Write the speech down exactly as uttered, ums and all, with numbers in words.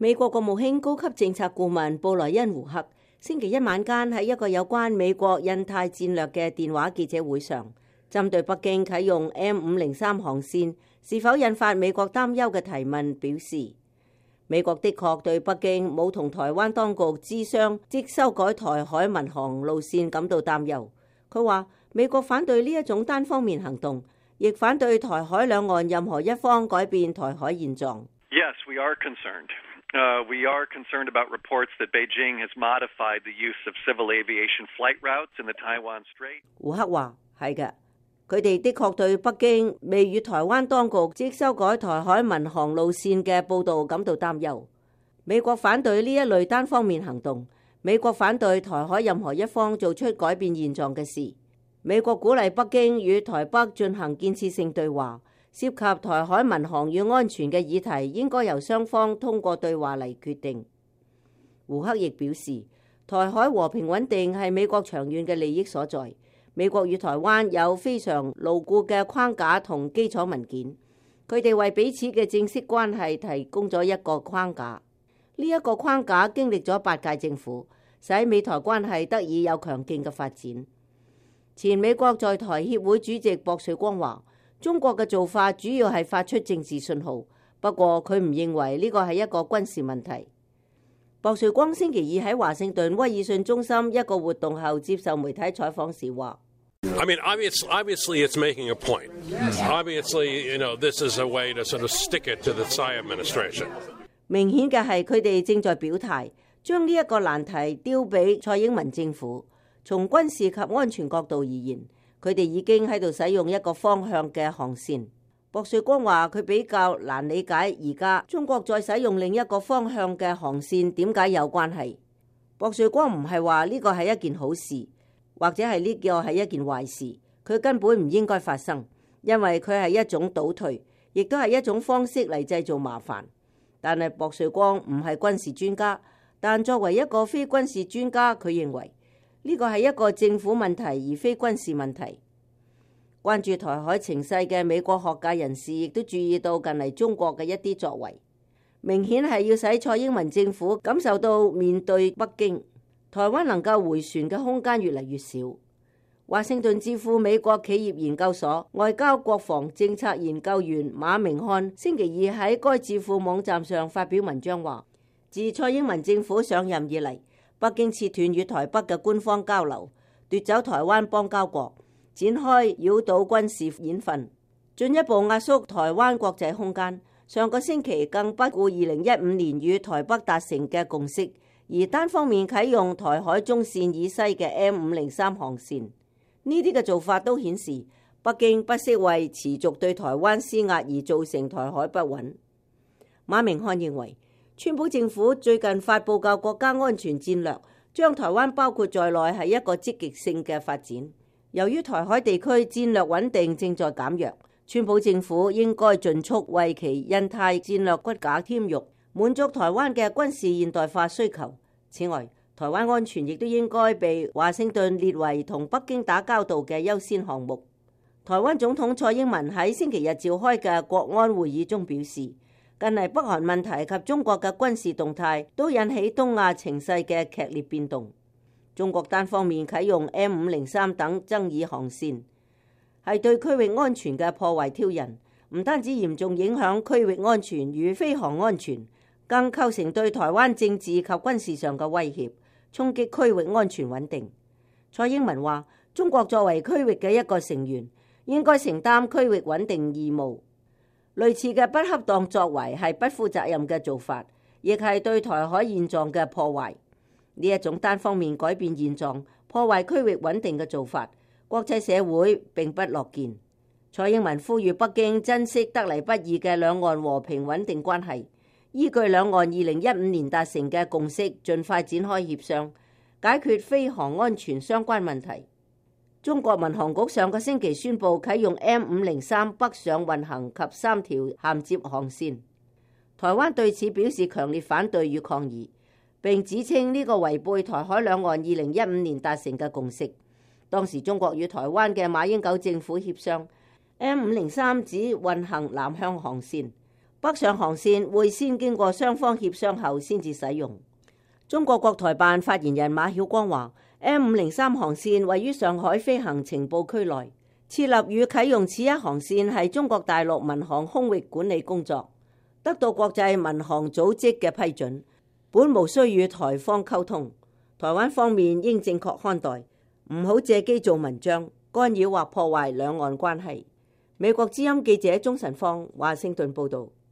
美國國務卿高級政策顧問布萊恩胡克星期一晚間喺一個有關美國印太戰略嘅電話記者會上，針對北京啟用 M 五零三航線是否引發美國擔憂嘅提問表示，美國的確對北京冇同台灣當局諮商即修改台海民航路線感到擔憂。佢話美國反對呢一種單方面行動，亦反對台海兩岸任何一方改變台海現狀。Yes, we are concerned. Uh, we are concerned about reports that Beijing has modified the use of civil aviation flight routes in the Taiwan Strait. 胡克話係嘅，佢哋的確對北京未與台灣當局即修改台海民航路線嘅報導感到擔憂。美國反對呢一類單方面行動，美國反對台海任何一方做出改變現狀嘅事。美國鼓勵北京與台北進行建設性對話。涉及台海民航與安全嘅議題，應該由雙方通過對話嚟決定。胡克亦表示，台海和平穩定係美國長遠嘅利益所在。美國與台灣有非常牢固嘅框架同基礎文件，佢哋為彼此嘅正式關係提供咗一個框架。呢一個框架經歷咗八屆政府，使美台關係得以有強勁嘅發展。前美國在台協會主席薄瑞光話，中國嘅做法主要係發出政治信號，不過佢唔認為呢個係一個軍事問題。薄瑞光星期二喺華盛頓威爾遜中心一個活動後接受媒體採訪時話 I mean, obviously, obviously it's making a point. Obviously, you know, this is a way to sort of stick it to the Tsai administration. 明顯嘅係佢哋正在表態，將呢一個難題丟俾蔡英文政府。從軍事及安全角度而言，佢哋已經喺度使用一個方向嘅航線。薄瑞光話佢比較難理解而家中國再使用另一個方向嘅航線點解有關係。薄瑞光唔係話呢個係一件好事，或者係呢個係一件壞事，佢根本唔應該發生，因為佢係一種倒退，亦都係一種方式嚟製造麻煩。但係薄瑞光唔係軍事專家，但作為一個非軍事專家，佢認為呢個係一個政府問題而非軍事問題。關注台海情勢嘅美國學界人士亦都注意到近嚟中國嘅一啲作為，明顯係要使蔡英文政府感受到面對北京，台灣能夠回旋嘅空間越嚟越少。華盛頓智庫美國企業研究所外交國防政策研究員馬明漢星期二喺該智庫網站上發表文章話，自蔡英文政府上任以嚟，北京切斷與台北嘅官方交流，奪走台灣邦交國，展開繞島軍事演訓，進一步壓縮台灣國際空間。上個星期更不顧二零一五年與台北達成嘅共識，而單方面啟用台海中線以西嘅 M 五零三航線。呢啲嘅做法都顯示北京不惜為持續對台灣施壓而造成台海不穩。馬明漢認為，川普政府最近發布嘅國家安全戰略，將台灣包括在內係一個積極性嘅發展。由於台海地區戰略穩定正在減弱，川普政府應該盡速為其印太戰略骨架添肉，滿足台灣嘅軍事現代化需求。此外，台灣安全亦都應該被華盛頓列為同北京打交道嘅優先項目。台灣總統蔡英文喺星期日召開嘅國安會議中表示，近嚟北韓問題及中國嘅軍事動態都引起東亞情勢嘅劇烈變動。中國單方面啟用 M 五零三等爭議航線，係對區域安全嘅破壞挑釁，唔單止嚴重影響區域安全與飛航安全，更構成對台灣政治及軍事上嘅威脅，衝擊區域安全穩定。蔡英文話，中國作為區域嘅一個成員，應該承擔區域穩定義務。類似嘅不恰當作為係不負責任嘅做法，亦係對台海現狀嘅破壞。呢一種單方面改變現狀、破壞區域穩定嘅做法，國際社會並不樂見。蔡英文呼籲北京珍惜得嚟不易嘅兩岸和平穩定關係，依據兩岸二零一五年達成嘅共識，盡快展開協商，解決飛航安全相關問題。中國民航局上個星期宣布啟用 M 五零三北上運行及三條銜接航線，台灣對此表示強烈反對與抗議，並指稱呢個違背台海兩岸二零一五年達成嘅共識。當時中國與台灣嘅馬英九政府協商 M 五零三只運行南向航線，北上航線會先經過雙方協商後先至使用。中國國台辦發言人馬曉光話 ：M 五零三航線位於上海飛行情報區內，設立與啟用此一航線係中國大陸民航空域管理工作，得到國際民航組織嘅批准，本無需與台方溝通。台灣方面應正確看待，唔好借機做文章，干擾或破壞兩岸關係。美國之音記者鍾晨芳華盛頓報道。